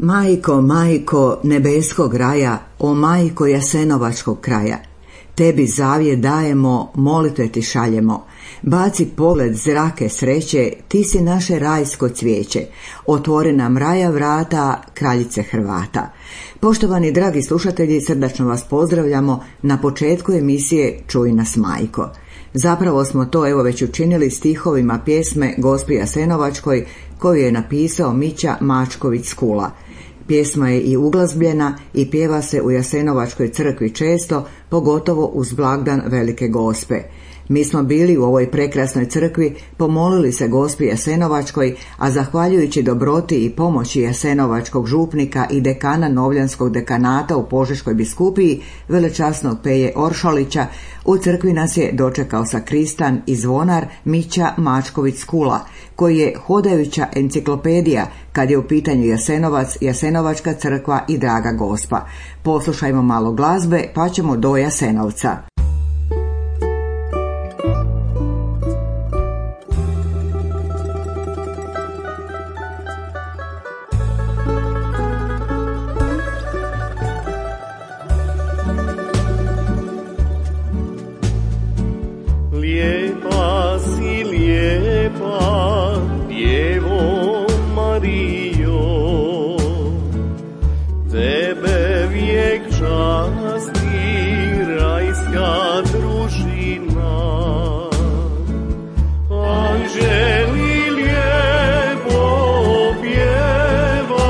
Majko, majko nebeskog raja, o majko jasenovačkog kraja, tebi zavjet dajemo, molitve ti šaljemo. Baci pogled zrake sreće, ti si naše rajsko cvijeće, otvori nam raja vrata, kraljice Hrvata. Poštovani dragi slušatelji, srdačno vas pozdravljamo na početku emisije Čuj nas majko. Zapravo smo to već učinili stihovima pjesme Gospi Jasenovačkoj koju je napisao Mića Mačković Skula. Pjesma je i uglazbljena i pjeva se u Jasenovačkoj crkvi često, pogotovo uz blagdan Velike Gospe. Mi smo bili u ovoj prekrasnoj crkvi, pomolili se Gospi Jasenovačkoj, a zahvaljujući dobroti i pomoći jasenovačkog župnika i dekana Novljanskog dekanata u Požeškoj biskupiji, velečasnog Peje Oršalića, u crkvi nas je dočekao sakristan i zvonar Mića Mačković Skula, koji je hodajuća enciklopedija kad je u pitanju Jasenovac, Jasenovačka crkva i Draga Gospa. Poslušajmo malo glazbe pa ćemo do Jasenovca. Lijepa si lijepa, Djevo Marijo, tebe vijek časti rajska družina. Anđeli lijepo pjevaju,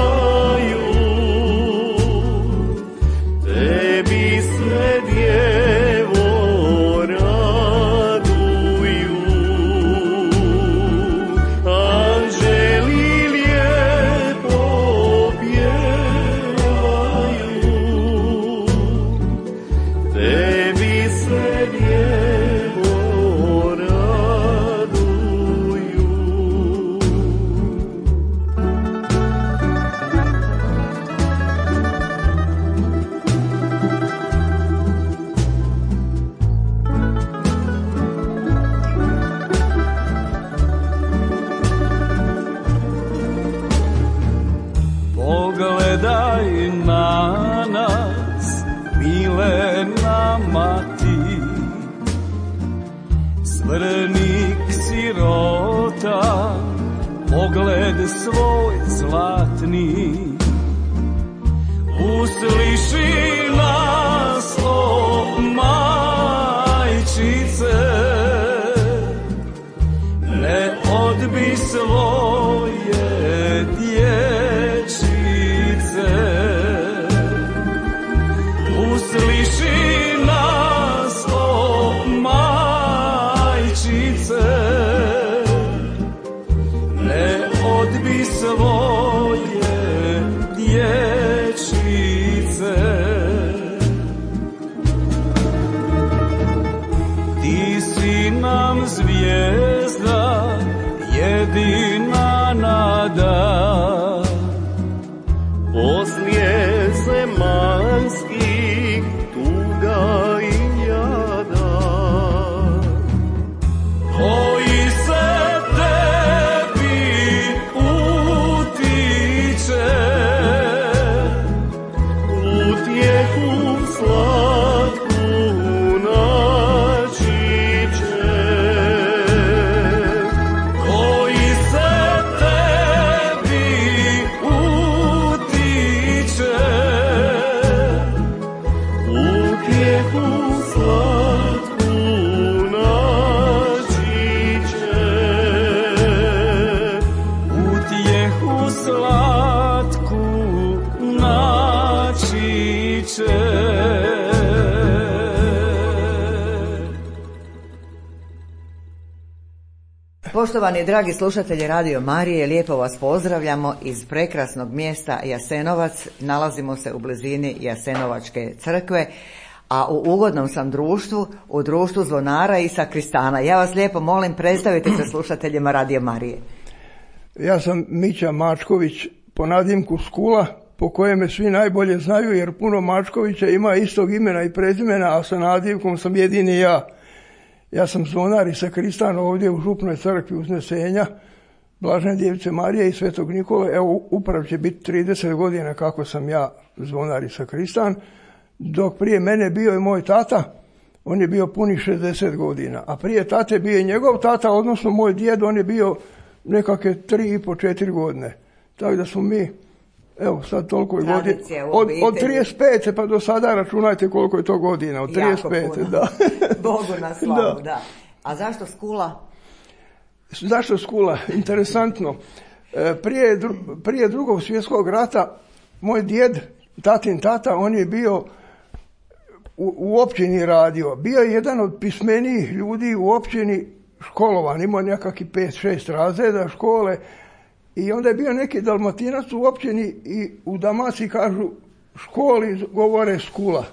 tebi sve Djevo pogledaj na nas, milena mati, smrnik sirota, pogled svoj zlatni, usliši nas, o majčice, ne odbi svoje dječice. Usliši nas, o majčice, ne odbi svoje dječice. Ti si nam zvijezda, jedina nada, poslije zemaljskih tuga i jada, koji se tebi utiče, utjehu slatku načiće, koji se tebi utiče, utjehu slatku načiće, utjehu slatku načiće. Poštovani dragi slušatelji Radio Marije, lijepo vas pozdravljamo iz prekrasnog mjesta Jasenovac. Nalazimo se u blizini Jasenovačke crkve, a u ugodnom sam društvu, u društvu zvonara i sakristana. Ja vas lijepo molim, predstavite se slušateljima Radio Marije. Ja sam Mića Mačković, po nadimku Skula, po kojem me svi najbolje znaju, jer puno Mačkovića ima istog imena i prezimena, a sa nadimkom sam jedini ja. Ja sam zvonar i sakristan ovdje u župnoj crkvi Uznesenja, Blažene Djevice Marije i Svetog Nikole. Evo, upravo će biti 30 godina kako sam ja zvonar i sakristan, dok prije mene bio je moj tata, on je bio punih 60 godina, a prije tate bio je njegov tata, odnosno moj djed, on je bio nekakve 3,5-4 godine. Tako da smo mi, evo sad toliko je godina, od 35. pa do sada računajte koliko je to godina, od 35. Da. Bogu na slavu, da. A zašto Skula? Zašto Skula? Interesantno. Prije Drugog svjetskog rata moj djed, tatin tata, on je bio u općini radio. Bio je jedan od pismenijih ljudi u općini, školovan, imao nekakvih 5-6 razreda škole i onda je bio neki Dalmatinac u općini i u Dalmaciji kažu školi govore Skula.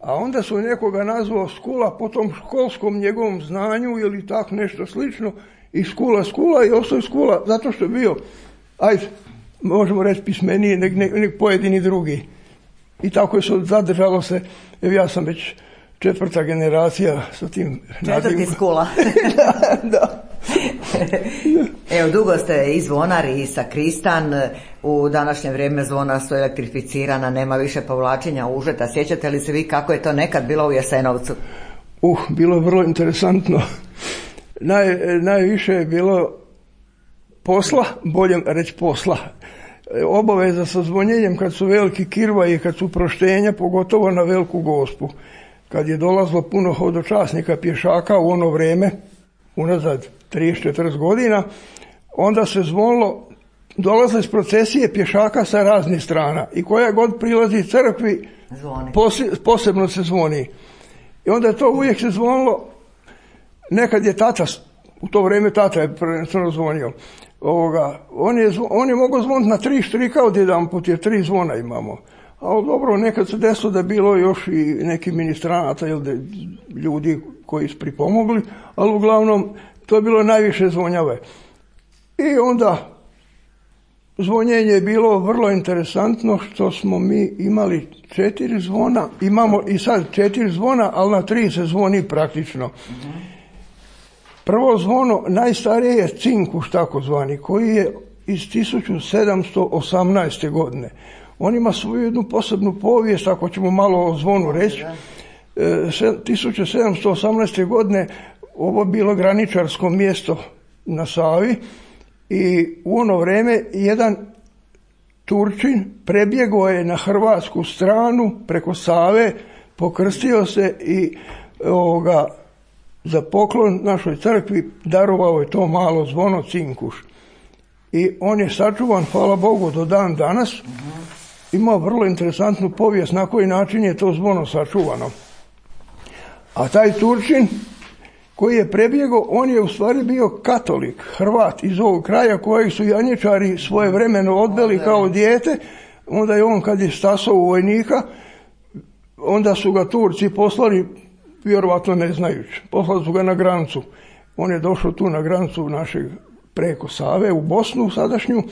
A onda su nekoga nazvao Skula po tom školskom njegovom znanju ili tako nešto slično i Skula i ostao je Skula zato što je bio, ajde, možemo reći pismeniji nek pojedini drugi. I tako je se zadržalo se, evo ja sam već 4. generacija sa tim nadimom. 4. Skula. Da. Evo, dugo ste i zvonar i sakristan, u današnje vrijeme zvona su elektrificirana, nema više povlačenja užeta. Sjećate li se vi kako je to nekad bilo u Jasenovcu? Bilo je vrlo interesantno. Najviše je bilo posla, bolje reći posla. Obaveza sa zvonjenjem kad su veliki kirvaji, kad su proštenja, pogotovo na Veliku Gospu. Kad je dolazlo puno hodočasnika pješaka u ono vrijeme, unazad 30-40 godina, onda se zvonilo, dolaze iz procesije pješaka sa raznih strana i koja god prilazi crkvi posebno se zvoni. I onda je to uvijek se zvonilo, nekad je tata, u to vrijeme tata je prvenstveno zvonio, on je mogao zvoniti na 3 štrika odjedanput jer 3 zvona imamo. Ali dobro, nekad se desilo da je bilo još i neki ministranata ili ljudi koji su pripomogli, ali uglavnom to je bilo najviše zvonjave. I onda zvonjenje je bilo vrlo interesantno što smo mi imali 4 zvona, imamo i sad 4 zvona, ali na 3 se zvoni praktično. Prvo zvono najstarije je cinkuš takozvani, koji je iz 1718. godine. On ima svoju jednu posebnu povijest, ako ćemo malo o zvonu reći. 1718. godine ovo bilo graničarsko mjesto na Savi i u ono vrijeme jedan Turčin prebjegao je na hrvatsku stranu preko Save, pokrstio se i za poklon našoj crkvi darovao je to malo zvono cinkuš. I on je sačuvan, hvala Bogu, do dan danas. Ima vrlo interesantnu povijest na koji način je to zvono sačuvano. A taj Turčin koji je prebjegao, on je u stvari bio katolik, Hrvat iz ovog kraja kojeg su janjičari svojevremeno odveli kao dijete. Onda je on kad je stasao u vojnika, onda su ga Turci poslali, vjerovatno ne znajući, poslali su ga na granicu. On je došao tu na granicu našeg preko Save u Bosnu sadašnju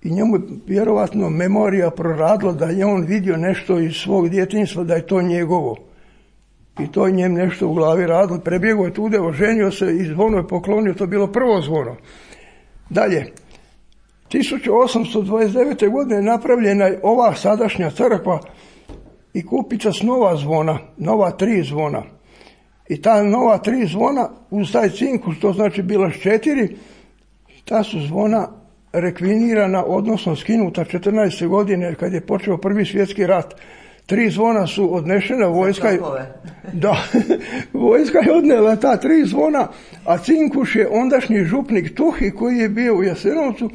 i njemu je vjerovatno memorija proradila da je on vidio nešto iz svog djetinjstva, da je to njegovo. I to je njem nešto u glavi radilo. Prebjegao je tude, oženio se i zvono je poklonio, to je bilo prvo zvono. Dalje, 1829. godine napravljena je ova sadašnja crkva i kupica s nova zvona, nova 3 zvona. I ta nova 3 zvona, uz taj cinkus, to znači bila 4, ta su zvona rekvinirana, odnosno skinuta 14. godine, kad je počeo Prvi svjetski rat. 3 zvona su odnešena, vojska je odnela ta 3 zvona, a cinkuš je ondašnji župnik Tuhi koji je bio u Jasenovcu,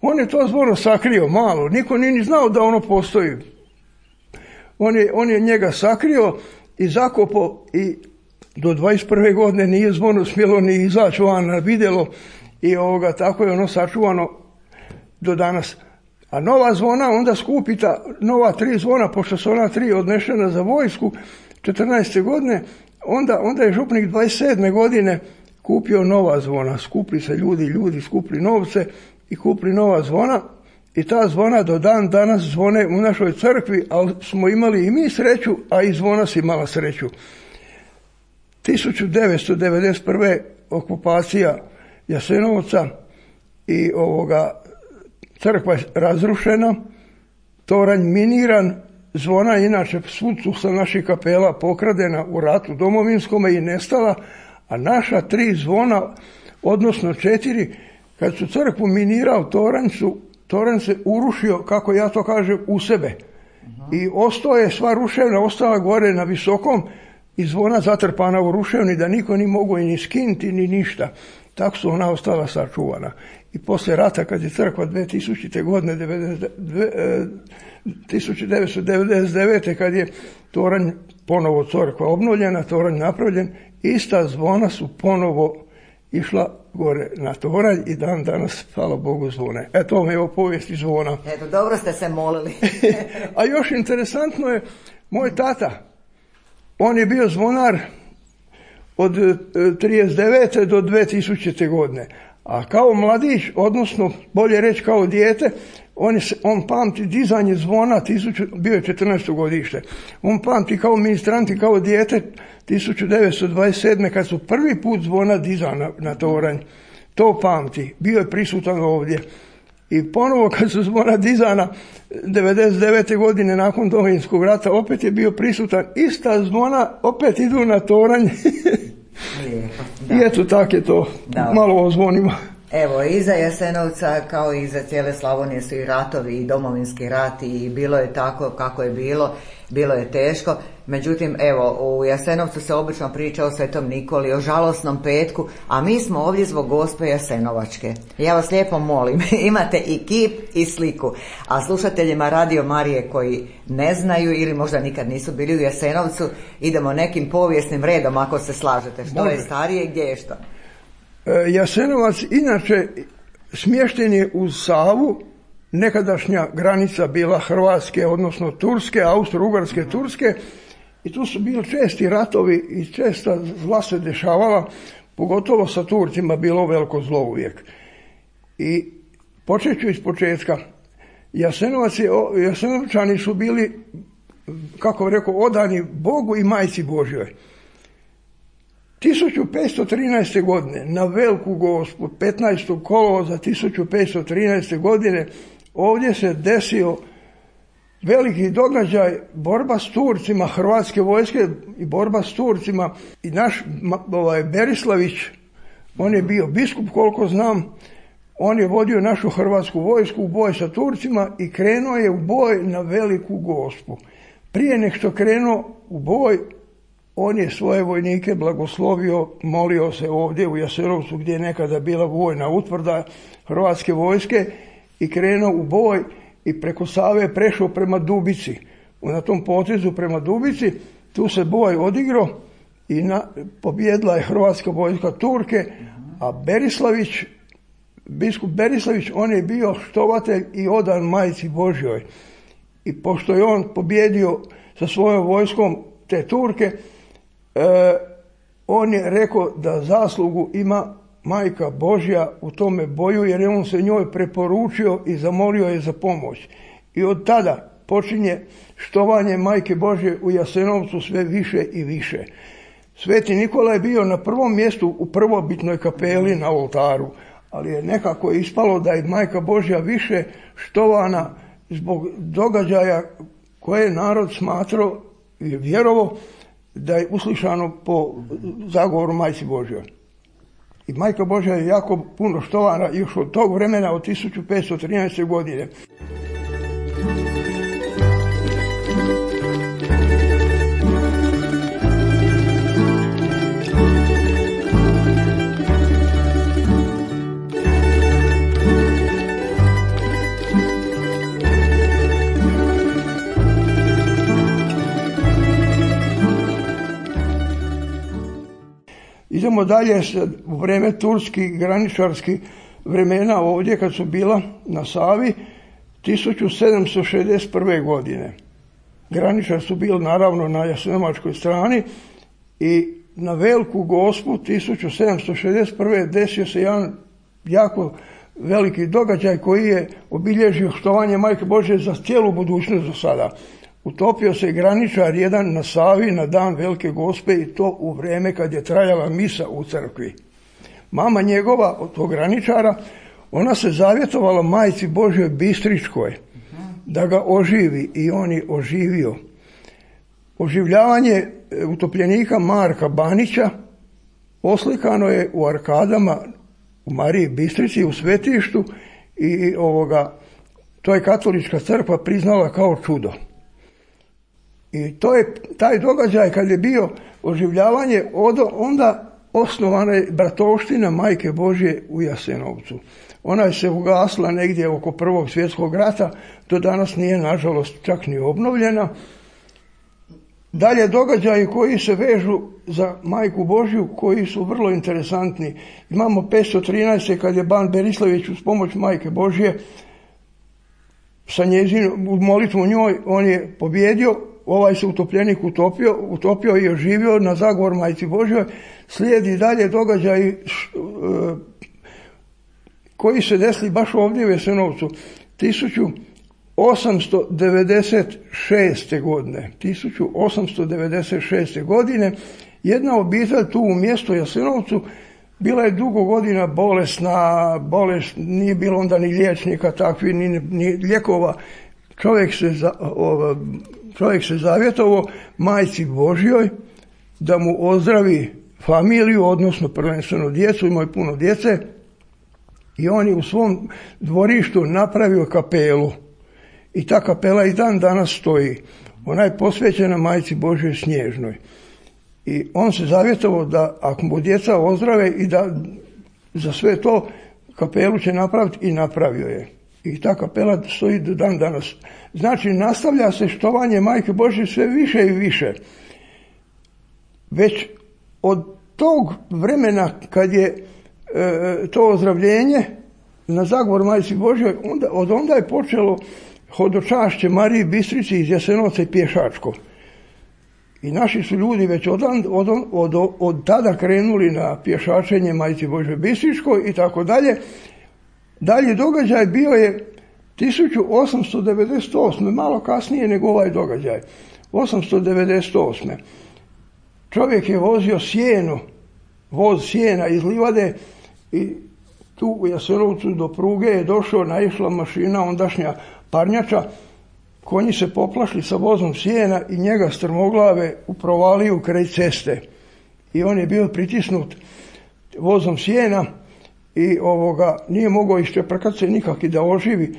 on je to zvono sakrio malo, niko nije ni znao da ono postoji. On je njega sakrio i zakopao i do 21. godine nije zvono smjelo ni izaći van na vidjelo i tako je ono sačuvano do danas. A nova zvona onda skupita, nova 3 zvona, pošto su ona 3 odnešena za vojsku 14. godine, onda je župnik 27. godine kupio nova zvona. Skupli se ljudi skupli novce i kupili nova zvona i ta zvona do dan danas zvone u našoj crkvi, ali smo imali i mi sreću, a i zvona si imala sreću. 1991. okupacija Jasenovca, i crkva je razrušena, toranj miniran, zvona inače svud su sa naših kapela pokradena u ratu domovinskome i nestala, a naša 3 zvona, odnosno 4, kad su crkvu minirao toranj se urušio, kako ja to kažem, u sebe. I ostao je sva ruševna, ostala gore na visokom i zvona zatrpana u ruševni da niko ni mogu ni skinti ni ništa. Tako su ona ostala sačuvana. I poslije rata kad je crkva 2000. godine, 1999. kad je toranj ponovo crkva obnovljena, toranj napravljen, ista zvona su ponovo išla gore na toranj i dan danas, hvala Bogu, zvone. Eto vam je o povijesti zvona. Eto, dobro ste se molili. A još interesantno je, moj tata, on je bio zvonar od 39. do 2000. godine. A kao mladić, odnosno bolje reći kao dijete, on pamti dizanje zvona, bio je 14. godište. On pamti kao ministrant i kao dijete 1927. kad su prvi put zvona dizana na toranj. To pamti. Bio je prisutan ovdje. I ponovo kad su zvona dizana 99. godine nakon Domovinskog rata, opet je bio prisutan. Ista zvona opet idu na toranj. I eto, tak je to. Da. Malo o zvonima. Evo, iza Jasenovca kao i iza cijele Slavonije su i ratovi i Domovinski rat i bilo je tako kako je bilo je teško. Međutim, evo, u Jasenovcu se obično priča o Svetom Nikoli, o žalosnom petku, a mi smo ovdje zbog Gospe Jasenovačke. Ja vas lijepo molim, imate i kip i sliku, a slušateljima Radio Marije koji ne znaju ili možda nikad nisu bili u Jasenovcu, idemo nekim povijesnim redom ako se slažete. Što je starije, gdje je što? Jasenovac inače smješten je uz Savu, nekadašnja granica bila Hrvatske, odnosno Turske, Austro-Ugarske, Turske, i tu su bili česti ratovi i česta zla se dešavala, pogotovo sa Turcima bilo veliko zlo uvijek. I počet ću iz početka. Jasenovčani su bili, kako rekao, odani Bogu i Majci Božjoj. 1513. godine na Veliku Gospu, 15. kolovoza 1513. godine, ovdje se desio veliki događaj, borba s Turcima, hrvatske vojske i borba s Turcima. I naš Berislavić, on je bio biskup koliko znam, on je vodio našu hrvatsku vojsku u boj sa Turcima i krenuo je u boj na Veliku Gospu. Prije nek što krenuo u boj, on je svoje vojnike blagoslovio, molio se ovdje u Jasenovcu gdje je nekada bila vojna utvrda hrvatske vojske i krenuo u boj i preko Save prešao prema Dubici. Na tom potezu prema Dubici tu se boj odigrao i pobjedila je hrvatska vojska Turke, a biskup Berislavić, on je bio štovatelj i odan Majci Božjoj. I pošto je on pobjedio sa svojom vojskom te Turke, on je rekao da zaslugu ima Majka Božja u tome boju, jer je on se njoj preporučio i zamolio je za pomoć. I od tada počinje štovanje Majke Božje u Jasenovcu sve više i više. Sveti Nikola je bio na prvom mjestu u prvobitnoj kapeli na oltaru, ali je nekako ispalo da je Majka Božja više štovana zbog događaja koje je narod smatrao i vjerovao da je uslišano po zagovoru Majci Božjoj. I Majka Božja je jako puno štovana još od tog vremena, od 1513. godine. Idemo dalje u vrijeme turskih graničarskih vremena ovdje kad su bila na Savi 1761. godine. Graničar su bili naravno na jasenovačkoj strani i na Veliku Gospu 1761. desio se jedan jako veliki događaj koji je obilježio štovanje Majke Božje za cijelu budućnost do sada. Utopio se graničar jedan na Savi na dan Velike Gospe i to u vrijeme kad je trajala misa u crkvi. Mama njegova od tog graničara, ona se zavjetovala Majci Božjoj Bistričkoj da ga oživi i on je oživio. Oživljavanje utopljenika Marka Banića oslikano je u arkadama u Mariji Bistrici u svetištu i to je katolička crkva priznala kao čudo. I to je taj događaj kad je bio oživljavanje, onda osnovana je bratovština Majke Božje u Jasenovcu. Ona je se ugasla negdje oko Prvog svjetskog rata, do danas nije nažalost čak ni obnovljena. Dalje događaji koji se vežu za Majku Božju, koji su vrlo interesantni. Imamo 513. kad je ban Berislavić uz pomoć Majke Božje sa njezinom molitvom njoj, on je pobjedio, ovaj se utopljenik utopio i oživio na zagovor Majci Božjoj. Slijedi dalje događaj koji se desili baš ovdje u Jasenovcu 1896. godine. 1896. godine jedna obitelj tu u mjestu Jasenovcu bila je dugo godina bolesna, nije bilo onda ni liječnika takvi, ni lijekova. Čovjek se zavjetovao Majci Božjoj da mu ozdravi familiju, odnosno prvenstveno djecu, imao je puno djece, i on je u svom dvorištu napravio kapelu. I ta kapela i dan danas stoji. Ona je posvećena Majci Božjoj Snježnoj. I on se zavjetovao da ako mu djeca ozdrave i da za sve to kapelu će napraviti, i napravio je. I ta kapela stoji do dan danas. Znači, nastavlja se štovanje Majke Božje sve više i više. Već od tog vremena kad je to ozdravljenje na zagovor Majci Božjoj, onda je počelo hodočašće Mariji Bistrici iz Jasenovca i pješačko. I naši su ljudi već od tada krenuli na pješačenje Majci Božjoj Bistričkoj i tako dalje. Dalje događaj bio je 1898. malo kasnije nego ovaj događaj. 898. Čovjek je vozio voz sjena iz livade i tu u Jasenovcu do pruge je došao, naišla mašina ondašnja parnjača, konji se poplašili sa vozom sjena i njega strmoglave u provaliju kraj ceste. I on je bio pritisnut vozom sjena i nije mogao iščeprkati se nikak i da oživi,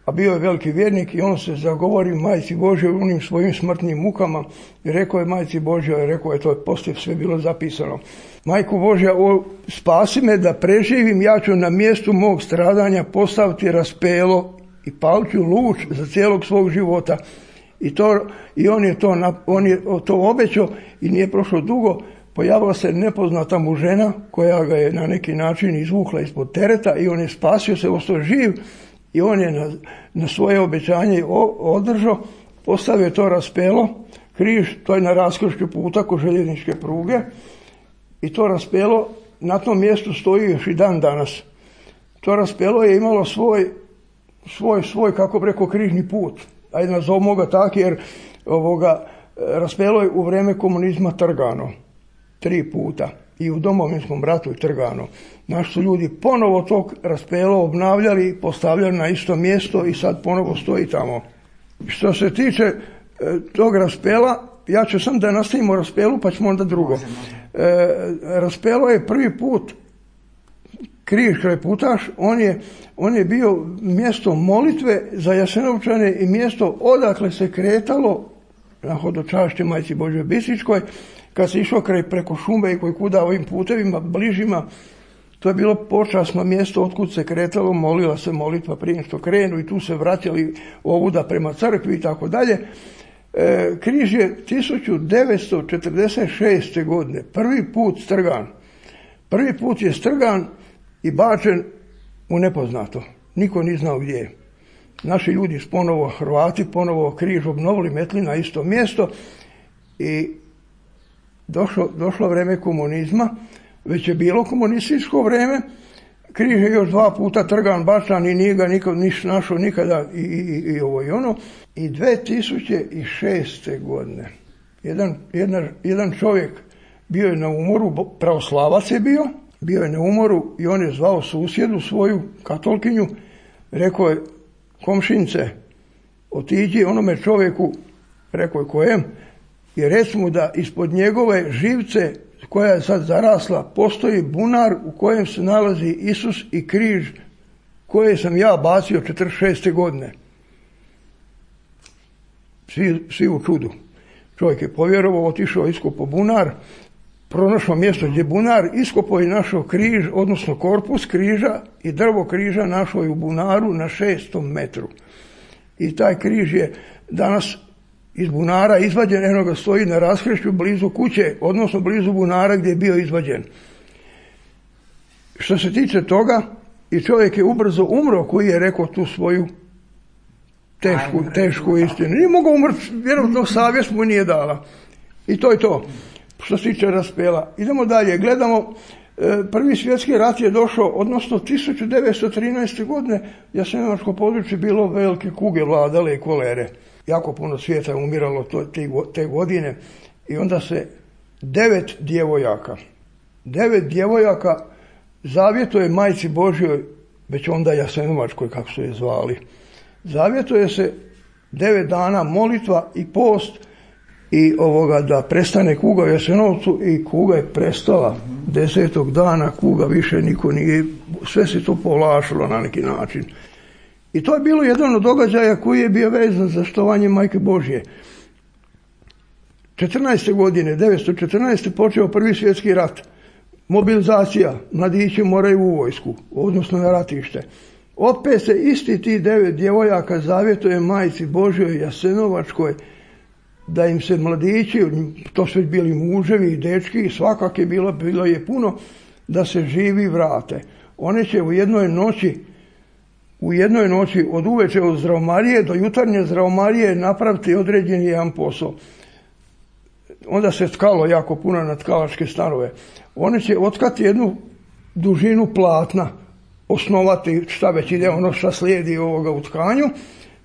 a bio je veliki vjernik, i on se zagovori Majci Božjoj u onim svojim smrtnim mukama i rekao je Majci Božjoj, rekao je, to je poslije sve bilo zapisano: Majko Božja, spasi me da preživim, ja ću na mjestu mog stradanja postaviti raspelo i palit ću luč za cijelog svog života. I on je to obećao i nije prošlo dugo, pojavila se nepoznata mu žena koja ga je na neki način izvukla ispod tereta i on je spasio se, ostao živ, i on je na svoje obećanje održao, postavio to raspelo, križ, to je na raskršću puta kod željezničke pruge, i to raspelo na tom mjestu stoji još i dan danas. To raspelo je imalo svoj kako bi rekao, križni put. Ajde nazovimo ga tako, jer raspelo je u vrijeme komunizma trgano 3 puta. I u Domovinskom ratu je trgano. Naši su ljudi ponovo tog raspelo obnavljali, postavljali na isto mjesto i sad ponovo stoji tamo. Što se tiče tog raspela, ja ću sam da nastavimo raspelu, pa ćemo onda drugo. Raspelo je prvi put križ kraj Putaš, on je bio mjesto molitve za Jasenovčane i mjesto odakle se kretalo na hodočašće Majci Božjoj Bistričkoj. Kad se išlo preko šume i koji kuda ovim putevima bližima, to je bilo počasno mjesto otkud se kretalo, molila se molitva prije što krenu, i tu se vraćali ovuda prema crkvi i tako dalje. Križ je 1946. godine prvi put strgan. Prvi put je strgan i bačen u nepoznato. Niko nije znao gdje je. Naši ljudi Hrvati ponovo križ obnovili, metli na isto mjesto, i došlo vrijeme komunizma, već je bilo komunističko vrijeme, križ je još 2 puta trgan, bačan, i nije ga niko našao nikada i ovo i ono. I 2006. godine jedan čovjek bio je na umoru, pravoslavac je bio, bio je na umoru i on je zvao susjedu svoju katolkinju, rekao je, komšince, otiđi onome čovjeku, rekao je kojem, i reci mu da ispod njegove živce koja je sad zarasla postoji bunar u kojem se nalazi Isus i križ koje sam ja bacio 46. godine. Svi u čudu. Čovjek je povjerovao, otišao, iskopao bunar, pronašao mjesto gdje bunar, iskopao i našao križ, odnosno korpus križa i drvo križa našao je u bunaru na 6. metru. I taj križ je danas iz bunara izvađen, eno ga stoji na raskršću blizu kuće, odnosno blizu bunara gdje je bio izvađen. Što se tiče toga, i čovjek je ubrzo umro koji je rekao tu svoju tešku istinu. Nije mogao umrti, vjerojatno savjest mu nije dala. I to je to. Što se tiče raspela. Idemo dalje, gledamo, Prvi svjetski rat je došao, odnosno 1913. godine Jasenovačko područje bilo velike kuge, vladale i kolere. Jako puno svijeta je umiralo te godine i onda se 9 djevojaka zavjetuje Majci Božjoj, već onda Jasenovačkoj kako su je zvali. Zavjetuje se 9 dana molitva i post i da prestane kuga u Jasenovcu, i kuga je prestala. 10. dana kuga više niko nije, sve se to povlašilo na neki način. I to je bilo jedan od događaja koji je bio vezan za štovanje Majke Božje. 14. godine, 1914. počeo Prvi svjetski rat. Mobilizacija, mladići moraju u vojsku, odnosno na ratište. Opet se isti ti 9 djevojaka zavjetuje Majci Božjoj Jasenovačkoj da im se mladići, to su bili muževi i dečki, svakak je bilo je puno, da se živi vrate. One će u jednoj noći od uveče od Zdravmarije do jutarnje Zdravmarije napraviti određeni jedan posao. Onda se tkalo jako puno na tkalačke stanove. One će otkati jednu dužinu platna, osnovati šta već ide, ono šta slijedi u tkanju,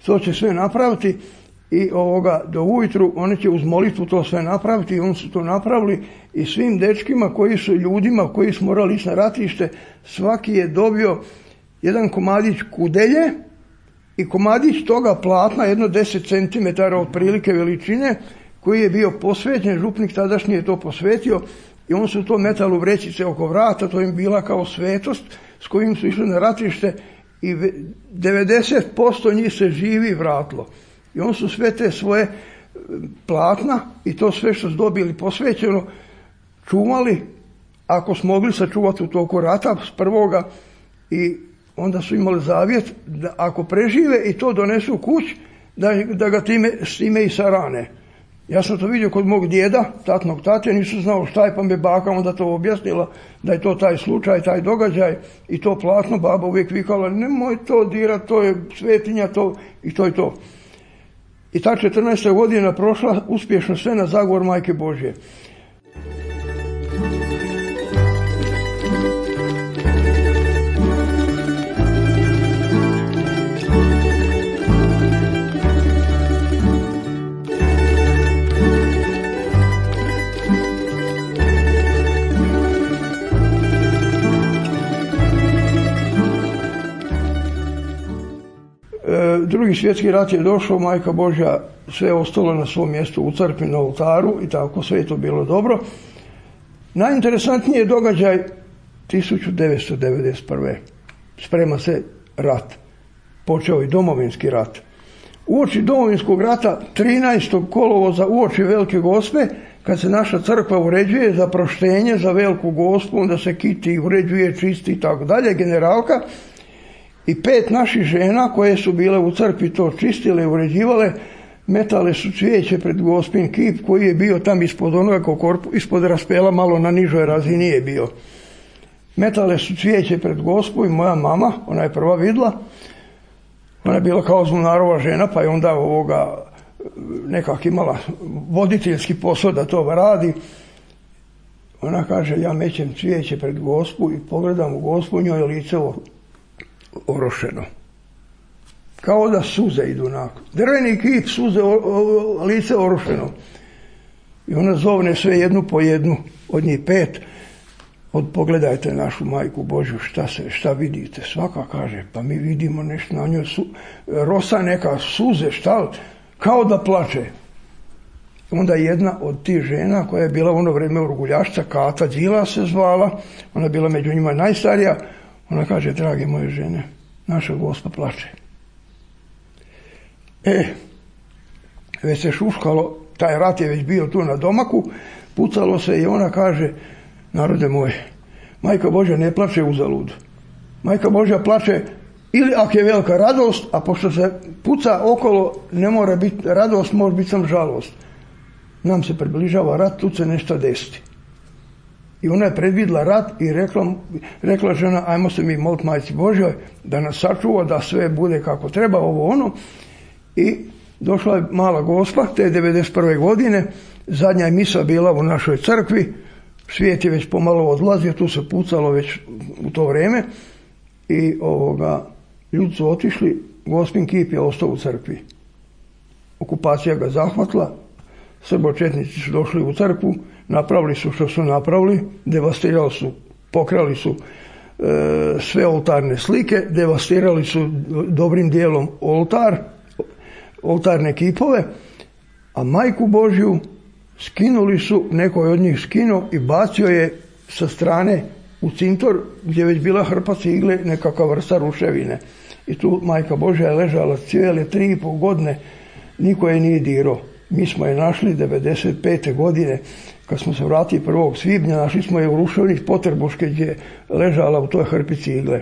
to će sve napraviti i do ujutru oni će uz molitvu to sve napraviti i oni su to napravili i svim dečkima ljudima koji su morali ići na ratište, svaki je dobio jedan komadić kudelje i komadić toga platna, jedno 10 cm otprilike veličine, koji je bio posvećen, župnik tadašnji je to posvetio i on su to metali u vrećice oko vrata, to im bila kao svetost s kojim su išli na ratište i 90% njih se živi vratilo. I on su sve te svoje platna i to sve što su dobili posvećeno čuvali, ako su mogli sačuvati u toku rata s prvoga, i onda su imali zavjet da ako prežive i to donesu kući, da ga s time i sarane. Ja sam to vidio kod mog djeda, tatnog tate, nisu znao šta je, pa me baka onda to objasnila da je to taj slučaj, taj događaj i to platno, baba uvijek vikala, nemoj to dirat, to je svetinja, to i to je to. I ta 14. godina prošla uspješno sve na zagovor Majke Božje. Drugi svjetski rat je došao, Majka Božja sve ostalo na svom mjestu u crkvi na oltaru i tako sve je to bilo dobro. Najinteresantniji je događaj 1991. Sprema se rat. Počeo i Domovinski rat. Uoči Domovinskog rata 13. kolovoza uoči Velike Gospe, kad se naša crkva uređuje za proštenje za Veliku Gospu, onda se kiti, uređuje, čisti i tako dalje, generalka, i 5 naših žena koje su bile u crkvi to čistile i uređivale, metale su cvijeće pred Gospin kip koji je bio tam ispod onoga ispod raspela, malo na nižoj razini je bio. Metale su cvijeće pred Gospu i moja mama, ona je prva vidla, ona je bila kao zvonarova žena, pa je onda nekak imala voditeljski posao da to radi. Ona kaže, ja mećem cvijeće pred Gospu i pogledam u Gospu, njoj je lice orošeno. Kao da suze idu nakon. Drveni kip, suze, lice orošeno. I ona zovne sve jednu po jednu, od njih 5. pogledajte našu majku Božju, šta vidite? Svaka kaže, pa mi vidimo nešto na njoj, rosa neka, suze, šta, kao da plače. Onda jedna od tih žena koja je bila u ono vrijeme urguljašca, Kata Đila se zvala, ona je bila među njima najstarija, ona kaže, drage moje žene, naša Gospa plače. Već se šuškalo, taj rat je već bio tu na domaku, pucalo se i ona kaže, narode moje, Majka Božja ne plače uzalud. Majka Božja plače ili ako je velika radost, a pošto se puca okolo, ne mora biti radost, može biti sam žalost. Nam se približava rat, tu se nešto desiti. I ona je predvidjela rat i rekla žena, ajmo se mi moliti Majci Božjoj da nas sačuva, da sve bude kako treba, ovo ono. I došla je mala Gospa, te 91. godine, zadnja je misa bila u našoj crkvi, svijet je već pomalo odlazio, tu se pucalo već u to vrijeme i ljudi su otišli, Gospin kip je ostao u crkvi. Okupacija ga zahvatila, srbočetnici su došli u crkvu, napravili su što su napravili, devastirali su, pokrali su sve oltarne slike, devastirali su dobrim dijelom oltarne kipove, a Majku Božju skinuli su, neko je od njih skinuo i bacio je sa strane u cintor gdje je već bila hrpa cigle, nekakva vrsta ruševine. I tu Majka Božja je ležala cijele 3,5 godine, niko je nije dirao. Mi smo je našli 95. godine, kad smo se vratili 1. svibnja, našli smo je u ruševini Poterbuške gdje je ležala u toj hrpi cigle.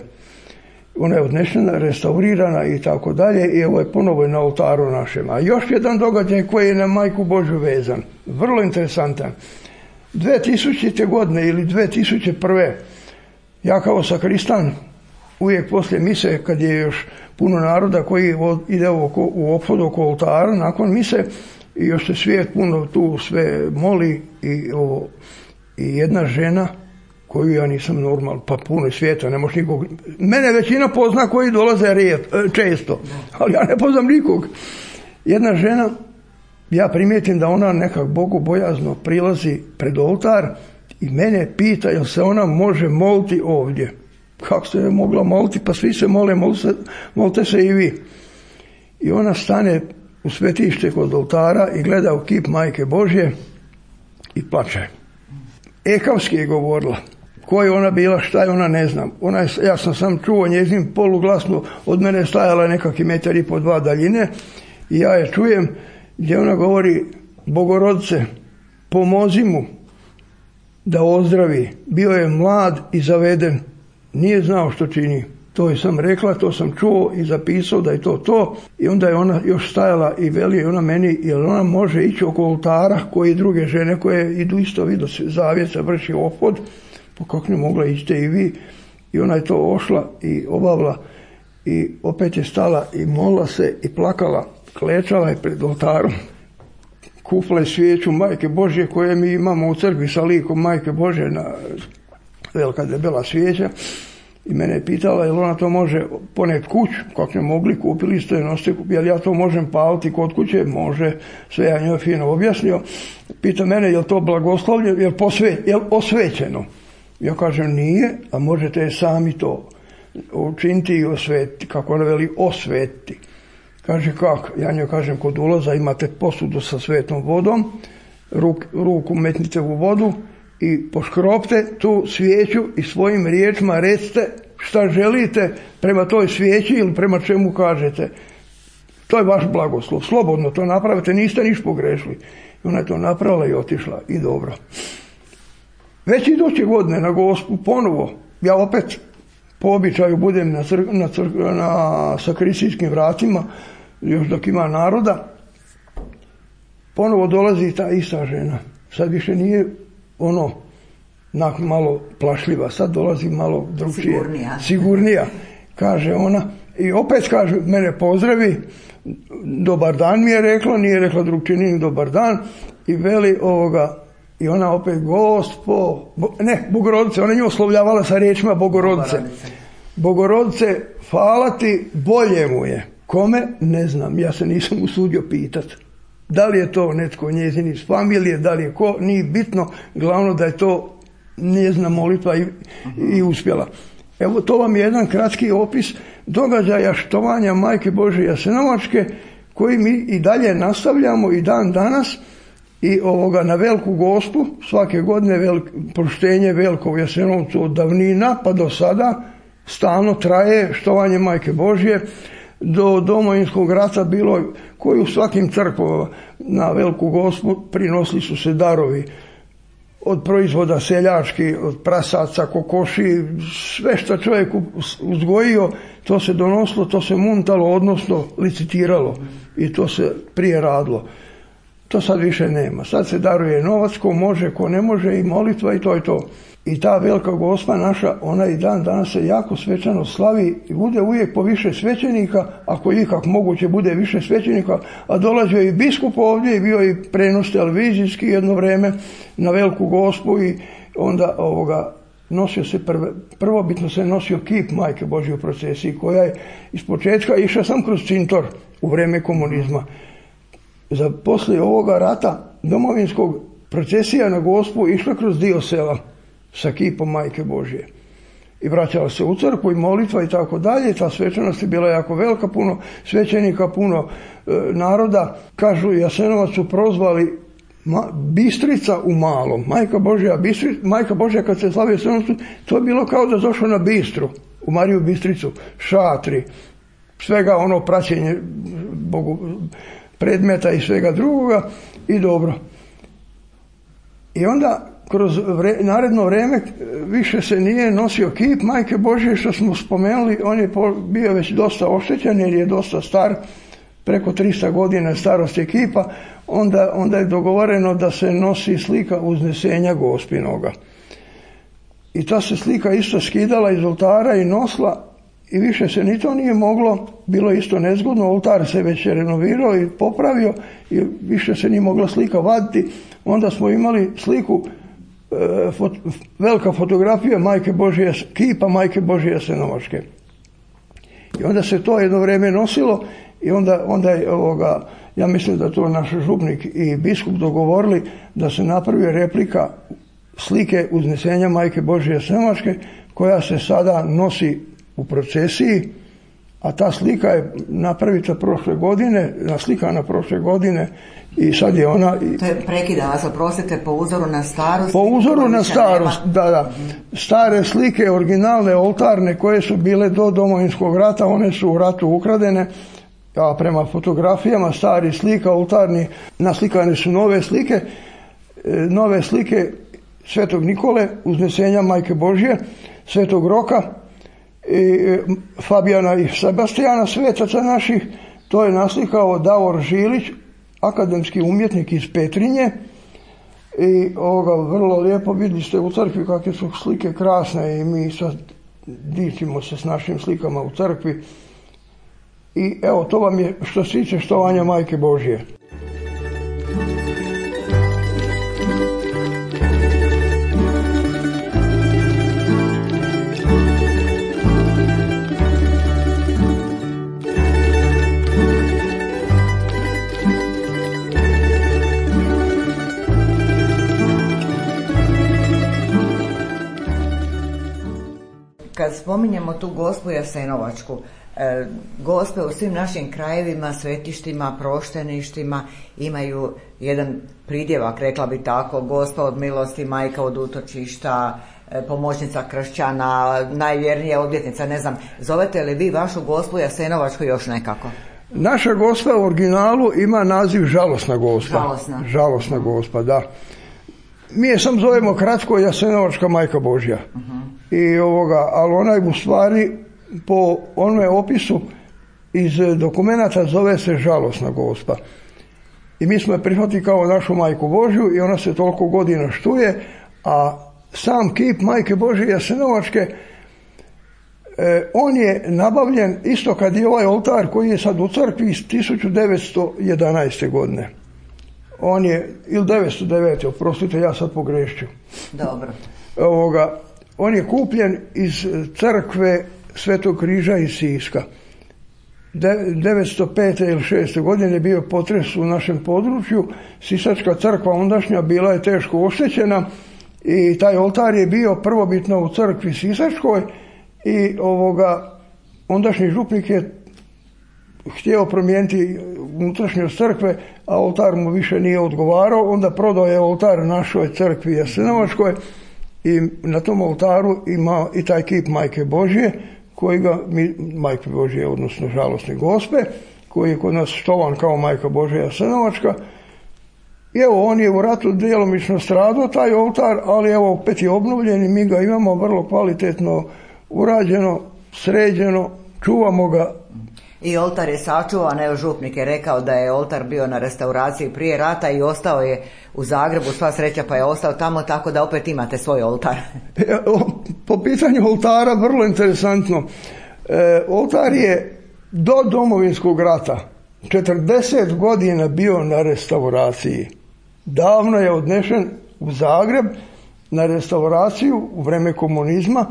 Ona je odnešena, restaurirana i tako dalje i evo je ponovo na oltaru našem. A još jedan događaj koji je na Majku Božju vezan, vrlo interesantan. 2000. godine ili 2001. ja kao sakristan uvijek poslije mise, kad je još puno naroda koji ide u ophodu oko oltara, nakon mise, i još se svijet puno tu sve moli i jedna žena koju ja nisam normal, pa puno svijeta, ne može nikog. Mene većina pozna koji dolaze često, ali ja ne poznam nikog. Jedna žena, ja primijetim da ona nekak bogobojazno prilazi pred oltar i mene pita jel se ona može moliti ovdje. Kako se je mogla moliti? Pa svi se mole, molite se i vi. I ona stane u svetište kod oltara i gleda u kip Majke Božje i plače. Ekavski je govorila. Ko je ona bila, šta je ona, ne znam. Ja sam čuo njezin poluglasno, od mene je stajala nekakvi 1,5 2 metra daljine i ja je čujem gdje ona govori, Bogorodice, pomozi mu da ozdravi. Bio je mlad i zaveden, nije znao što čini. To je sam rekla, to sam čuo i zapisao da je to. I onda je ona još stajala i veli ona meni, jel ona može ići oko oltara koji druge žene koje idu isto vidu zavjet se vrši opod, pa kako ne mogla ići i vi. I ona je to ošla i obavila i opet je stala i molila se i plakala, klečala je pred oltarom. Kupila je svijeću Majke Božje koje mi imamo u crkvi sa likom Majke Božje, na velika debela svijeća. I mene je pitala jel ona to može poneti kuću, kako ne mogli, kupili ste je, nosite, jel ja to možem paliti kod kuće, može, sve ja njoj fino objasnio. Pita mene jel to blagoslovljeno, jel osvećeno. Ja kažem nije, a možete sami to učiniti i osvetiti, kako ona veli osvetiti. Kaže kako, ja njoj kažem kod ulaza imate posudu sa svetom vodom, ruku metnite u vodu, i poškropte tu svijeću i svojim riječima recite šta želite prema toj svijeći ili prema čemu kažete. To je vaš blagoslov. Slobodno to napravite, niste niš pogrešili. I ona je to napravila i otišla i dobro. Već iduće godine na Gospu ponovo, ja opet po običaju budem na sakristijskim vratima, još dok ima naroda, ponovo dolazi ta ista žena. Sad više nije malo plašljiva, sad dolazi malo drugčije, sigurnija, kaže ona. I opet kaže, mene pozdravi, dobar dan mi je rekla, nije rekla drugčini dobar dan, i veli i ona opet Bogorodice, ona nju oslovljavala sa riječima Bogorodice. Bogorodice, hvala ti, bolje mu je. Kome? Ne znam, ja se nisam usudio pitat. Da li je to netko njezin iz familije, da li je ko, nije bitno, glavno da je to njezina molitva i uspjela. Evo, to vam je jedan kratki opis događaja štovanja Majke Božje Jasenovačke, koji mi i dalje nastavljamo i dan danas. I na Veliku Gospu svake godine poštenje veliko u Jasenovcu od davnina pa do sada stalno traje štovanje Majke Božje. Do Domovinskog rata bilo koji u svakim crkvama na Veliku Gospu prinosili su se darovi od proizvoda seljački, od prasaca, kokoši, sve što čovjek uzgojio, to se donosilo, to se muntalo, odnosno licitiralo i to se prije radilo. To sad više nema. Sad se daruje novac, ko može, ko ne može, i molitva, i to je to. I ta Velika Gospa naša, ona i dan danas se jako svečano slavi i bude uvijek po više svećenika, ako ikak moguće bude više svećenika, a dolazio je i biskup ovdje i bio i prenos televizijski jedno vrijeme na Veliku Gospu i onda nosio se prvobitno se nosio kip Majke Božje u procesiji, koja je iz početka išla sam kroz cintor u vrijeme komunizma. Za poslije ovoga rata domovinskog procesija na Gospu išla kroz dio sela sa kipom Majke Božje. I vraćala se u crkvu i molitva i tako dalje. Ta svečanost je bila jako velika, puno svećenika, puno naroda. Kažu, Jasenovac su prozvali Bistrica u malom. Majka Božja kad se slavio Jasenovcu, to je bilo kao da došlo na Bistru, u Mariju Bistricu, šatri, svega praćenje Bogu, predmeta i svega drugoga i dobro. I onda kroz naredno vrijeme više se nije nosio kip Majke Božje, što smo spomenuli. On je bio već dosta oštećen jer je dosta star, preko 300 godina starosti kipa. Onda je dogovoreno da se nosi slika uznesenja Gospinoga. I ta se slika isto skidala iz oltara i nosila i više se ni to nije moglo, bilo isto nezgodno, oltar se već renovirao i popravio i više se nije mogla slika vaditi. Onda smo imali sliku, velika fotografija Majke Božje, kipa Majke Božje Jasenovačke. I onda se to jedno vrijeme nosilo i onda je ja mislim da to naš župnik i biskup dogovorili da se napravi replika slike uznesenja Majke Božje Jasenovačke, koja se sada nosi u procesiji, a ta slika je napravita naslikana prošle godine i sad je ona... To je prekida vas, oprostite, po uzoru na starost? Po uzoru na starost, da. Stare slike, originalne, oltarne, koje su bile do Domovinskog rata, one su u ratu ukradene, a prema fotografijama starih slika, oltarni, naslikane su nove slike Svetog Nikole, uznesenja Majke Božje, Svetog Roka, i Fabijana i Sebastijana, svetaca naših. To je naslikao Davor Žilić, akademski umjetnik iz Petrinje, i vrlo lijepo vidjeli ste u crkvi kakve su slike krasne i mi sad dičimo se s našim slikama u crkvi. I evo, to vam je što se tiče štovanja Majke Božje. Kad spominjemo tu Gospu Jasenovačku, Gospe u svim našim krajevima, svetištima, prošteništima imaju jedan pridjevak, rekla bi tako, Gospa od milosti, Majka od utočišta, pomoćnica kršćana, najvjernija odvjetnica, ne znam. Zovete li vi vašu Gospu Jasenovačku još nekako? Naša Gospa u originalu ima naziv Žalosna Gospa. Žalosna Gospa, da. Mi je sam zovemo kratko Jasenovačka Majka Božja. Ali ona je u stvari po onome opisu iz dokumenata zove se Žalosna Gospa. I mi smo je prihvatili kao našu Majku Božju i ona se toliko godina štuje, a sam kip Majke Božje Jasenovačke, on je nabavljen isto kad je ovaj oltar koji je sad u crkvi iz 1911. godine. On je, ili 909. oprostite, ja sad pogrešću. Dobro. On je kupljen iz crkve Svetog križa iz Siska. 905. ili 6. godine je bio potres u našem području. Sisačka crkva ondašnja bila je teško oštećena i taj oltar je bio prvobitno u crkvi Sisačkoj i ondašnji župnik je htio promijeniti unutrašnjost crkve, a oltar mu više nije odgovarao, onda prodao je oltar našoj crkvi Jasenovačkoj i na tom oltaru ima i taj kip Majke Božje, Majke Božje, odnosno Žalosne Gospe, koji je kod nas štovan kao Majka Božja Jasenovačka. I evo, on je u ratu djelomično stradao taj oltar, ali evo opet je obnovljen i mi ga imamo vrlo kvalitetno urađeno, sređeno, čuvamo ga. I oltar je sačuvan, evo župnik je rekao da je oltar bio na restauraciji prije rata i ostao je u Zagrebu, sva sreća pa je ostao tamo, tako da opet imate svoj oltar. Po pitanju oltara vrlo interesantno. Oltar je do Domovinskog rata 40 godina bio na restauraciji. Davno je odnešen u Zagreb na restauraciju u vreme komunizma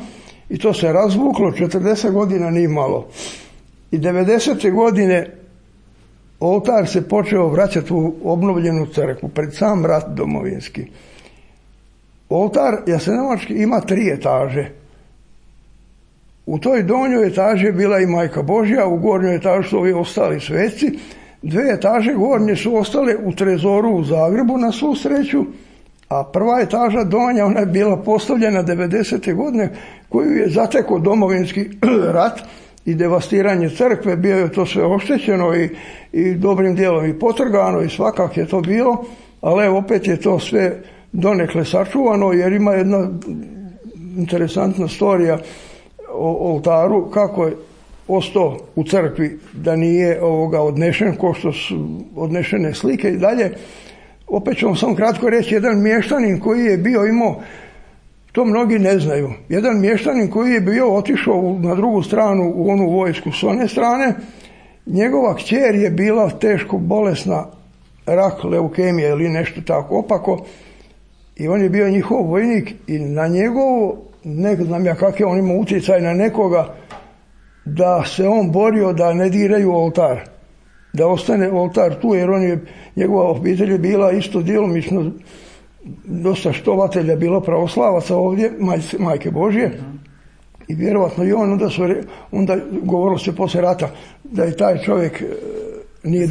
i to se razvuklo 40 godina nije malo. I 90. godine oltar se počeo vraćati u obnovljenu crkvu pred sam rat domovinski. Oltar Jasenovački ima 3 etaže. U toj donjoj etaži je bila i Majka Božja, u gornjoj etaži su ovi ostali sveci. 2 etaže gornje su ostale u trezoru u Zagrebu na svu sreću, a prva etaža donja, ona je bila postavljena 90. godine koju je zatekao domovinski rat i devastiranje crkve, bio je to sve oštećeno i dobrim dijelom i potrgano i svakak je to bilo, ali evo opet je to sve donekle sačuvano, jer ima jedna interesantna storija o oltaru, kako je ostao u crkvi, da nije odnešen ko što su odnešene slike i dalje. Opet ću vam samo kratko reći, jedan mještanin koji je bio imao, to mnogi ne znaju, jedan mještanin koji je bio otišao na drugu stranu u onu vojsku s one strane, njegova kćer je bila teško bolesna, rak, leukemija ili nešto tako opako, i on je bio njihov vojnik i na njegovo, ne znam ja kak je on imao utjecaj na nekoga, da se on borio da ne diraju oltar, da ostane oltar tu, jer njegova obitelj je bila isto djelomično dosta štovatelja, bilo pravoslavaca ovdje, Majke Božje, i vjerovatno i on, onda govorilo se poslije rata da je taj čovjek nije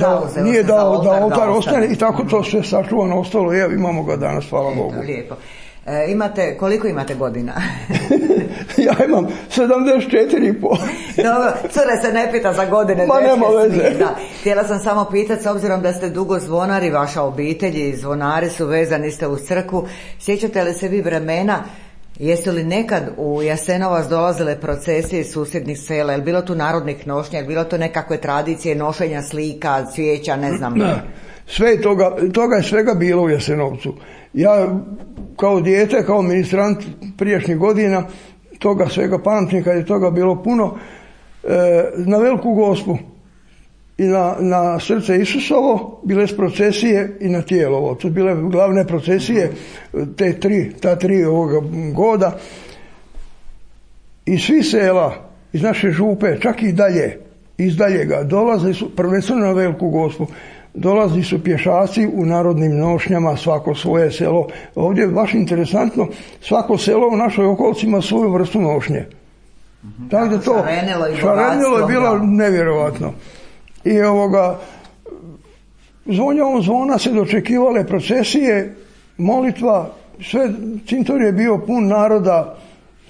dao da oltar ostane i tako to sve sačuvano ostalo. Evo, imamo ga danas, hvala Bogu. Lijepo. Koliko imate godina? Ja imam 74,5. Dobro, cure se ne pita za godine. Ma nema veze. Da. Htjela sam samo pitati, s obzirom da ste dugo zvonari, vaša obitelj i zvonari su vezani ste uz crkvu, sjećate li se vi vremena, jeste li nekad u Jasenovac dolazile procesije iz susjednih sela, je bilo tu narodnih nošnja, je bilo to nekakve tradicije nošenja slika, cvijeća, ne znam. Sve toga je svega bilo u Jasenovcu. Ja kao dijete, kao ministrant prijašnjih godina, toga svega pamtim, kad je toga bilo puno, na Veliku Gospu i na Srce Isusovo bile su procesije i na Tijelovo. To su bile glavne procesije ta tri ovoga goda. I svi sela iz naše župe, čak i dalje, iz daljega, dolazili su prvenstveno na Veliku Gospu. Dolazili su pješaci u narodnim nošnjama, svako svoje selo. Ovdje je baš interesantno, svako selo u našoj okolici ima svoju vrstu nošnje. Tako da to šarenilo je bilo nevjerovatno. I zvonjavom zvona se dočekivale procesije, molitva, sve, cintor je bio pun naroda,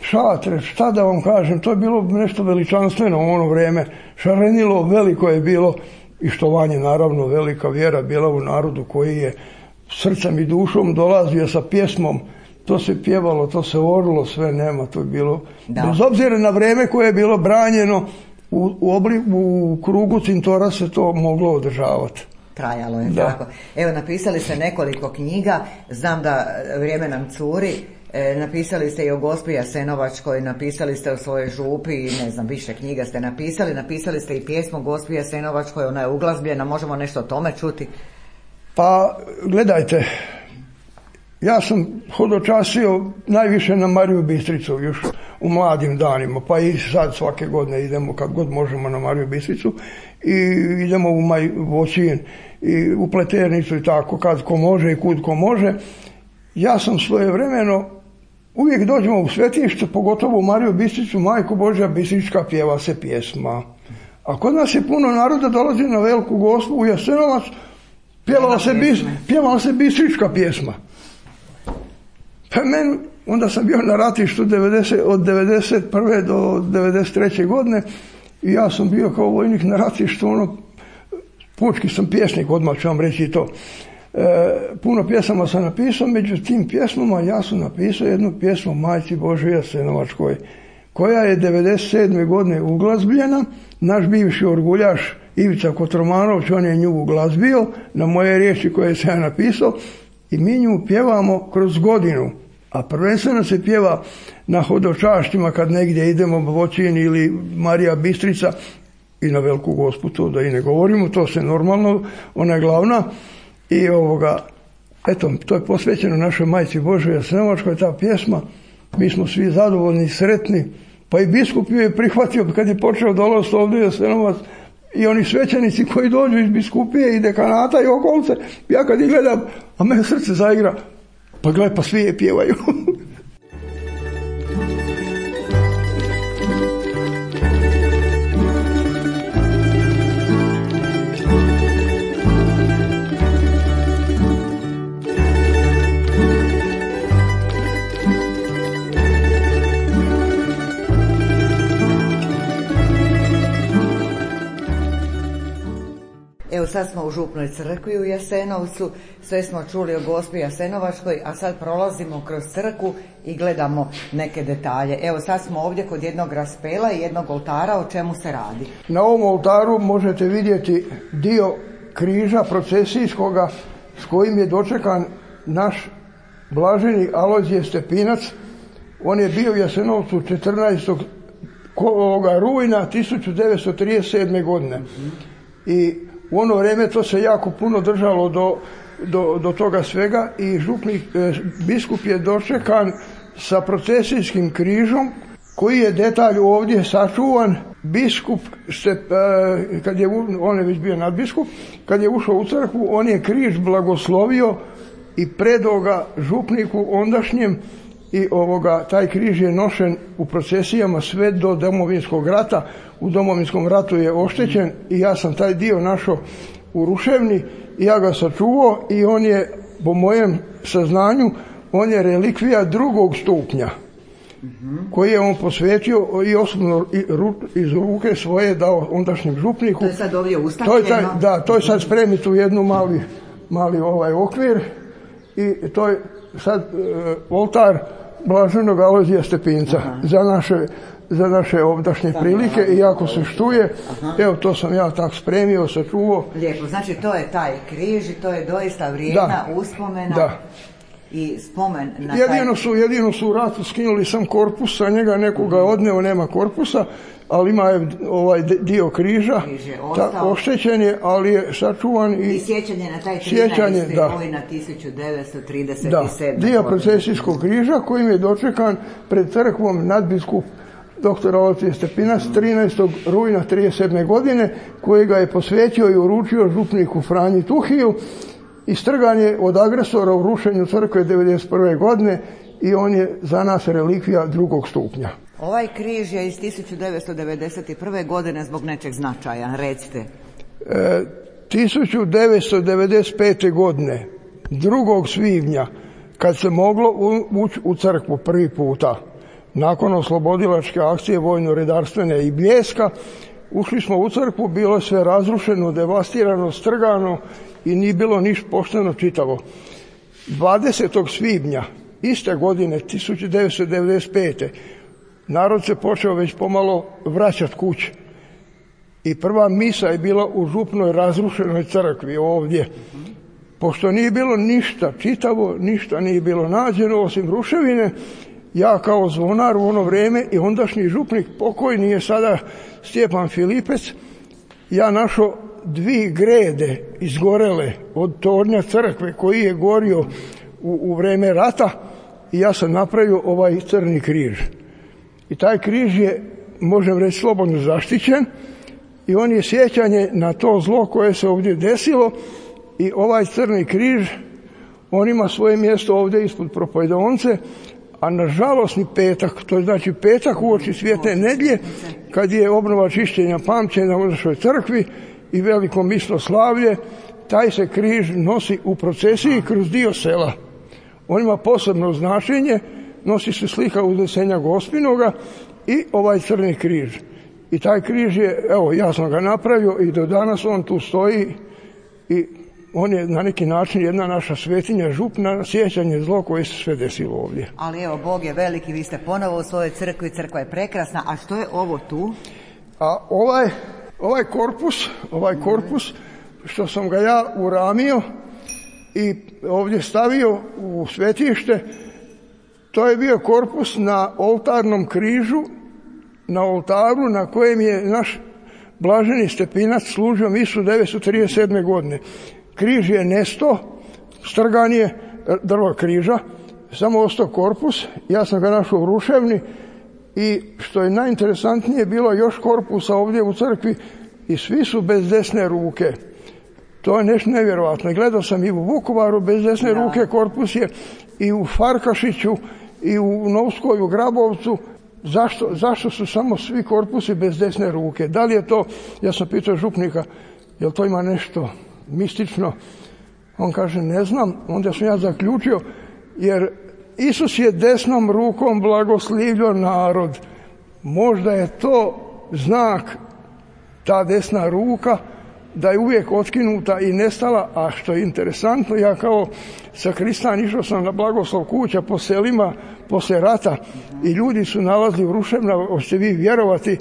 šatre, šta da vam kažem, to je bilo nešto veličanstveno u ono vrijeme. Šarenilo veliko je bilo i štovanje, naravno, velika vjera bila u narodu koji je srcem i dušom dolazio sa pjesmom. To se pjevalo, to se orilo, sve nema, to je bilo. Da. Bez obzira na vrijeme koje je bilo branjeno, u krugu cintora se to moglo održavati. Trajalo je, da. Tako. Evo, napisali ste nekoliko knjiga, znam da vrijeme nam curi. Napisali ste i o Gospi Jasenovačkoj, napisali ste o svojoj župi, ne znam, više knjiga ste napisali ste i pjesmu o Gospi Jasenovačkoj, ona je uglazbljena, možemo nešto o tome čuti? Pa, gledajte, ja sam hodočasio najviše na Mariju Bistricu još u mladim danima, pa i sad svake godine idemo kad god možemo na Mariju Bistricu i idemo u Voćin i u Pleternicu i tako, kad ko može i kud ko može. Ja sam svojevremeno uvijek dođemo u svetište, pogotovo u Mariju Bistricu, Majku Božja Bistrička, pjeva se pjesma. A kod nas je puno naroda dolazi na Veliku Gospu u Jasenovac, pjevala se Bistrička pjesma. Pa meni, onda sam bio na ratištu od 91. do 93. godine i ja sam bio kao vojnik na ratištu, pučki sam pjesnik, odmah ću vam reći to. Puno pjesama sam napisao, među tim pjesmama ja sam napisao jednu pjesmu Majci Božoj Jasenovačkoj, koja je 97. godine uglazbljena. Naš bivši orguljaš Ivica Kotromanović, on je nju uglazbio na moje riječi koje sam ja napisao i mi nju pjevamo kroz godinu. A prvenstveno se pjeva na hodočašćima kad negdje idemo, Voćin ili Marija Bistrica, i na Veliku Gospu, to da i ne govorimo, to se normalno, ona je glavna. I eto, to je posvećeno našoj Majci Božoj Jasenovačkoj, ta pjesma. Mi smo svi zadovoljni, sretni, pa i biskup ju je prihvatio kad je počeo dolaziti ovdje u Jasenovac, i oni svećenici koji dođu iz biskupije i dekanata i okolice, ja kad ih gledam, a me srce zaigra, pa gledaj, pa svi je pjevaju. Evo sad smo u Župnoj crkvi u Jasenovcu, sve smo čuli o Gospi Jasenovačkoj, a sad prolazimo kroz crkvu i gledamo neke detalje. Evo sad smo ovdje kod jednog raspela i jednog oltara, o čemu se radi? Na ovom oltaru možete vidjeti dio križa procesijskoga s kojim je dočekan naš blaženi Alojzije Stepinac. On je bio u Jasenovcu 14. rujna 1937. godine. I u ono vrijeme to se jako puno držalo do toga svega i biskup je dočekan sa procesijskim križom koji je detalj ovdje sačuvan. Biskup, on je već bio nadbiskup, kad je ušao u crkvu, on je križ blagoslovio i predao ga župniku ondašnjem i taj križ je nošen u procesijama sve do Domovinskog rata. U Domovinskom ratu je oštećen i ja sam taj dio našao u ruševni i ja ga sačuvao i on je, po mojem saznanju, on je relikvija 2. stupnja koji je on posvetio i osobno iz ruke svoje dao ondašnjem župniku. To je sad ovdje ustavljeno? Da, to je sad spremit u jednu mali okvir i to je sad oltar blaženog Alojzija Stepinca za naše ovdašnje prilike i ako se štuje, evo to sam ja tak spremio, sačuvao. Lijepo, znači to je taj križ i to je doista vrijedna uspomena i spomen na jedino su u ratu skinuli sam korpus, sa njega nekoga odneo, nema korpusa, ali ima ovaj dio križa, oštećen je, ali je sačuvan i sjećanje na taj 13. rujna 1937. Da, dio procesijskog križa kojim je dočekan pred crkvom nadbiskup dr. Alojzije Stepinac 13. rujna 1937. godine, kojega je posvetio i uručio župniku Franji Tuhiju i strgan je od agresora u rušenju crkve 1991. godine i on je za nas relikvija 2. stupnja. Ovaj križ je iz 1991. godine zbog nečeg značaja, recite. 1995. godine, 2. svibnja, kad se moglo ući u crkvu prvi puta, nakon oslobodilačke akcije vojno-redarstvene i Bljeska, ušli smo u crkvu, bilo je sve razrušeno, devastirano, strgano i nije bilo ništa pošteno čitavo. 20. svibnja iste godine, 1995. narod se počeo već pomalo vraćati kući. I prva misa je bila u župnoj razrušenoj crkvi ovdje. Pošto nije bilo ništa čitavo, ništa nije bilo nađeno osim ruševine, ja kao zvonar u ono vrijeme i ondašnji župnik, pokojni je sada Stjepan Filipec, ja našao 2 grede izgorele od tornja crkve koji je gorio u vrijeme rata i ja sam napravio ovaj crni križ. I taj križ je, možem reći, slobodno zaštićen i on je sjećanje na to zlo koje se ovdje desilo i ovaj crni križ, on ima svoje mjesto ovdje ispod propovedonce, a na žalosni petak, to je znači petak uoči Svete nedjelje, kad je obnova čišćenja pamćenja u našoj crkvi i veliko misloslavlje, taj se križ nosi u procesiji kroz dio sela. On ima posebno značenje, nosi se slika Uznesenja Gospinoga i ovaj crni križ. I taj križ je, evo, ja sam ga napravio i do danas on tu stoji i on je na neki način jedna naša svetinja, župna, na sjećanje zlo koje se sve desilo ovdje. Ali evo, Bog je veliki, vi ste ponovo u svojoj crkvi, crkva je prekrasna, a što je ovo tu? A ovaj korpus, što sam ga ja uramio i ovdje stavio u svetište, to je bio korpus na oltarnom križu, na oltaru na kojem je naš blaženi Stepinac služio misu 1937. godine. Križ je nesto, strgan je drvo križa, samo ostao korpus, ja sam ga našao u ruševni i što je najinteresantnije, bilo još korpusa ovdje u crkvi i svi su bez desne ruke. To je nešto nevjerojatno. Gledao sam i u Vukovaru bez desne ruke korpus je, i u Farkašiću, i u Novskoj, u Grabovcu. Zašto su samo svi korpusi bez desne ruke? Da li je to, ja sam pitao župnika, jel to ima nešto mistično? On kaže, ne znam. Onda sam ja zaključio, jer Isus je desnom rukom blagoslivio narod. Možda je to znak, ta desna ruka, da je uvijek otkinuta i nestala, a što je interesantno, ja kao sakristan išao sam na blagoslov kuća po selima poslije rata i ljudi su nalazili u ruševna, hoćete vi vjerovati,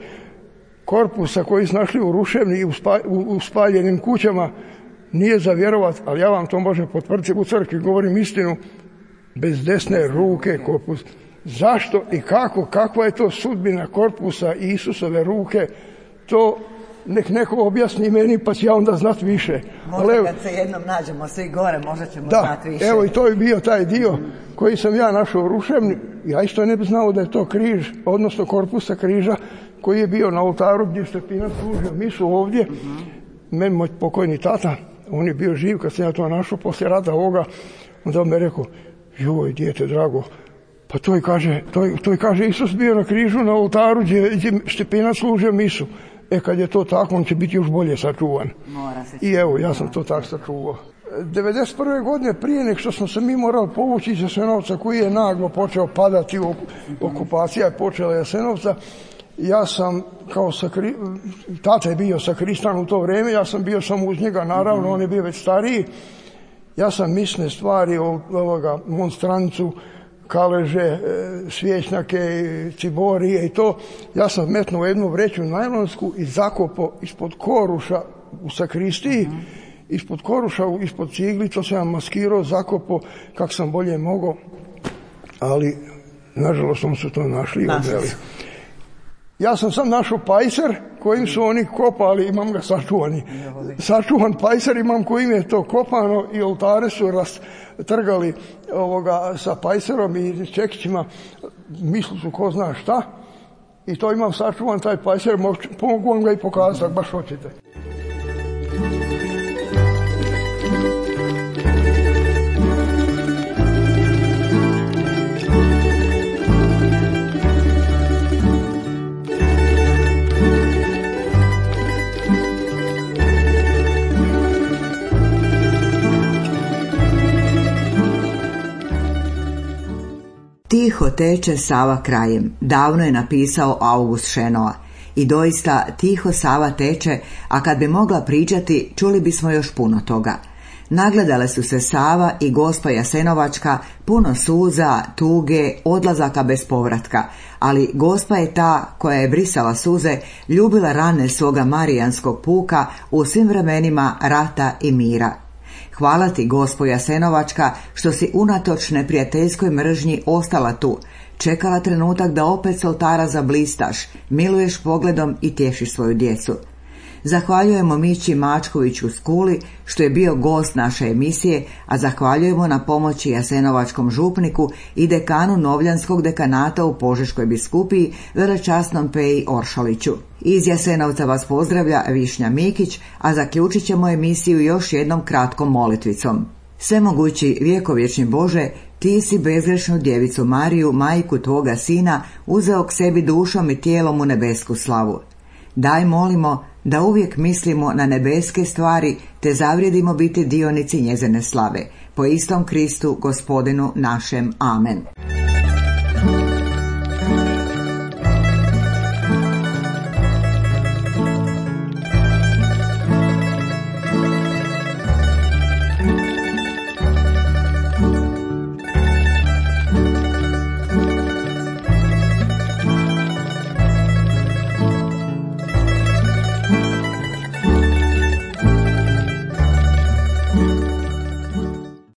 korpusa koji su našli u ruševni i u spaljenim kućama, nije za vjerovat, ali ja vam to možem potvrditi u crkvi, govorim istinu, bez desne ruke korpus. Zašto i kako, kakva je to sudbina korpusa i Isusove ruke, to nek neko objasni meni, pa ću ja onda znat više. Možda kad se jednom nađemo svi gore, možda ćemo znat više. Evo i to je bio taj dio koji sam ja našao u ruševni. Ja isto ne bi znao da je to križ, odnosno korpusa križa koji je bio na oltaru gdje Stepinac služio misu ovdje. Meni moj pokojni tata, on je bio živ kad sam ja to našao poslije rata ovoga, onda on me rekao, joj, dijete drago, pa to je kaže Isus bio na križu na oltaru gdje Stepinac služio misu. Kad je to tako, on će biti još bolje sačuvan. I evo, ja sam to tako sačuvao. 1991. godine, prije nek što smo se mi morali povući iz Jasenovca, koji je naglo počeo padati, okupacija je počela Jasenovca, ja sam tata je bio sakristan u to vrijeme, ja sam bio samo uz njega, naravno, on je bio već stariji. Ja sam misne stvari, monstrancu, kaleže, svjećnjake, ciborije i to, ja sam metnuo jednu vreću najlonsku i zakopao ispod koruša u sakristiji, ispod koruša, ispod cigli, to sam ja maskirao, zakopao kako sam bolje mogao, ali nažalost oni su to našli i odveli. Ja sam sam našao pajser kojim su oni kopali, imam ga sačuvan pajser imam kojim je to kopano i oltare su trgali sa pajserom i čekićima, mislili su ko zna šta, i to imam sačuvan taj pajser, mogu vam ga i pokazati ako baš hoćete. Tiho teče Sava krajem, davno je napisao August Šenoa. I doista tiho Sava teče, a kad bi mogla pričati, čuli bismo još puno toga. Nagledale su se Sava i Gospa Jasenovačka, puno suza, tuge, odlazaka bez povratka, ali Gospa je ta koja je brisala suze, ljubila rane svoga marijanskog puka u svim vremenima rata i mira. Hvala ti, Gospo Jasenovačka, što si unatoč neprijateljskoj mržnji ostala tu, čekala trenutak da opet s oltara zablistaš, miluješ pogledom i tješiš svoju djecu. Zahvaljujemo Mići Mačkoviću Skuli što je bio gost naše emisije, a zahvaljujemo na pomoći jasenovačkom župniku i dekanu Novljanskog dekanata u Požeškoj biskupiji, velečasnom Peji Oršaliću. Iz Jasenovca vas pozdravlja Višnja Mikić, a zaključit ćemo emisiju još jednom kratkom molitvicom. Svemogući vjekovječni Bože, ti si bezgrešnu djevicu Mariju, majku tvoga sina, uzeo k sebi dušom i tijelom u nebesku slavu. Daj, molimo, da uvijek mislimo na nebeske stvari, te zavrijedimo biti dionici njezine slave. Po istom Kristu, Gospodinu našem. Amen.